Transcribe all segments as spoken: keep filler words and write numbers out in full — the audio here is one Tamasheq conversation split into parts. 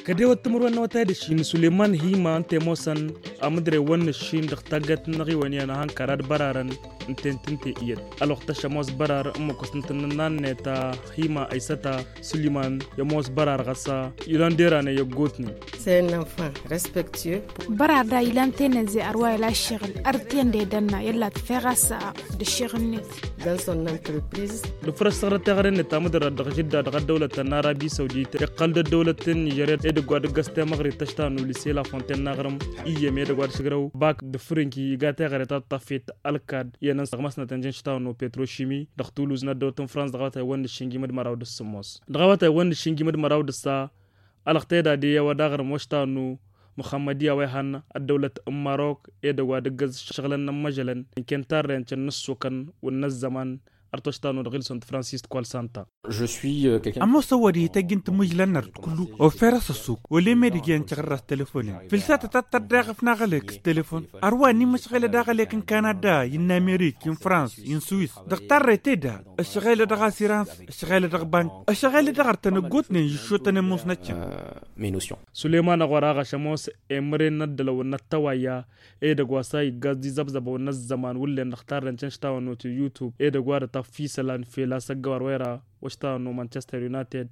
Kădewăt timǝrwen n-awătay d-ašin suleyman hima ǝnta i-ămoosăn amǝdrewăn n-ašin dăɣ-taggayt n-inăɣiwăn iyyăn ahănkar ad-bărarăn ǝnta i-ǝntǝnte iyyăt ălwăqq tăšămoos bărar n-imǝkkus n-tǝnnǝnna-net ta hima ăysăta suleyman i-ămoos bărar ɣas ilan deranăy i-ăggootnen. Săyăn n-enfant respectueux. Bărar da ilan tenănze ărwa ila ăššăɣǝl ărten d-edănna i-ălla tǝfeɣ a-s d-ăššăɣǝl-net. Dăn-s ănnăntrăpriz. Dăɣ-făr ăssăɣrăt teɣăre-net tamǝdărra dăɣ-žǝdda dăɣ-ăddăwlăt ta n-arabi săwdit iqqăl-dd ăddăwlăt n-nižerya edăgg wa dăgg-s temăɣrit ta ăštanu lise lafonten n-aɣrǝm iyyăm edăgg wa d-ašǝgrăw bak d-fǝrǝnki iga teɣăre ta tăṭṭăfet ălkad i-enăn s-dăɣ-măsnăt ănjăn ăštanu petro-šimi dăɣ-tuluz n-ăddăwlăt n-frans dăɣ-awătay wăn n-aššǝnjim d-măraw d-ǝssǝmmos dăɣ-awătay wăn n-aššǝnjim d-măraw d-ǝssa. Ălăɣtăy d-ad-iyyăw ad-aɣrǝm wăštanu măxămmăd i-a-wa ihăn ăddăwlăt n-marok edăgg wa dăgg-s šăɣlăn n-ămmăžălăn ǝnken tarrăyăn căn n-ǝssokăn wǝnna ăzzăman. Ărtăštan-u dăɣ-ilsăn d-francis d-kol santa. Ămoos ăwwăd-i tăjj n-timǝžlăn-năr d-kullu offer-as ăssuk wălem edăgg i-ăncăɣ ărras telefonen fǝlsatăt ad-tărdăɣăf n-aɣălek s-telefon. Ărwa n-imǝšɣelăd aɣălek n-kanada i-n-amerik i-n-frans i-n-swis dăɣ-tarrăyt eda ăšɣelăd dăɣ-asirans ăšɣelăd dăɣ-bank ăšɣelăd dăɣ-artăn ăggootnen iššotăn ămoos n-ăccăm. Suleyman ăɣora ɣaš ămoos emăren n-ăddălăw n-ăttăwayya edăgg wa s-a iggaẓ d-izăbzăbăw n-ăzzăman wǝllen dăɣ-tarrăn căn štawăn-nut n-yutub edăgg wa dăt-afisălan fel a-s ăggăwar wa ira wăštawăn-nu manchester united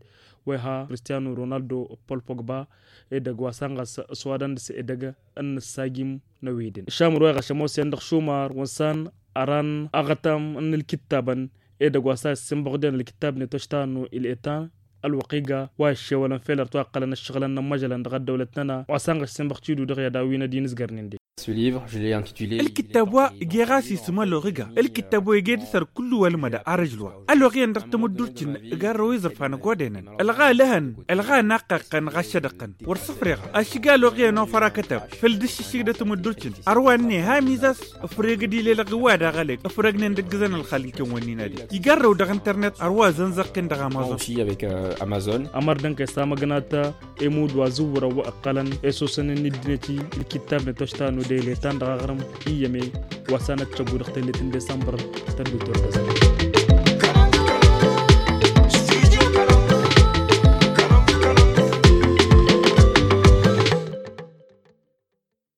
wa iha kristiyanu ronaldo d-pol-pogba edăgg wa s-a n-ɣas s-wadăn dăɣ-s edăgg n-nǝssajim n-eweden šamur wa iɣaš ămoosăn dăɣ-šumar wăn s-an ăran aɣătam n-ǝlkǝttabăn edăgg wa s-a issinbăɣden ǝlkǝttab-net wăštawăn-nu il-etan ălwăqq iga wa iššewălăn fel ărtwa ǝqqălăn ǝššăɣǝlăn n-ămmăžălăn dăɣ-ăddăwlăt-nănăɣ wa s-a n-ɣaš sinbăɣ tidǝw dăɣ-i ad-awǝyăn ad-inǝzgărnen de. Ǝlkǝttab wa ǝje ɣas isǝm ăloɣ iga ǝlkǝttab wa ǝje dăr-săr kullu wa ǝlmăda arăžlu wa ăloɣ iyyăn dăɣ-tamǝddurt-in. Ǝgarrăw iẓrǝfan ăgodăynăn ălɣa ălhăn ălɣa anaqqaqqăn ɣas šădăqqăn wăr sǝfreɣ ašǝga ăloɣ iyyăn ofăr akătab făll-dăššǝššǝg d-tamǝddurt-in. Ărwa ǝnne ha ămiz-as ǝfreg d-ilelăɣ iwad aɣălek ǝfrăgnen dăgg-zăn ălxal n-kăwăn-in-ad-ija igarrăw dăɣ-internet ărwa zănzăɣ-ten dăɣ-amazon. Ămăr dănk-e s-amăgnat emud wa zǝwwărăw wa ǝqqălăn esosăn n-ǝddinăt-i ǝlkittab n-atošta n-odăyletan dăɣ-aɣrǝm iyyăm-e wa s-anăt-tăggu dăɣ-tellet n-desămbăr. Tăddu turgăzăn.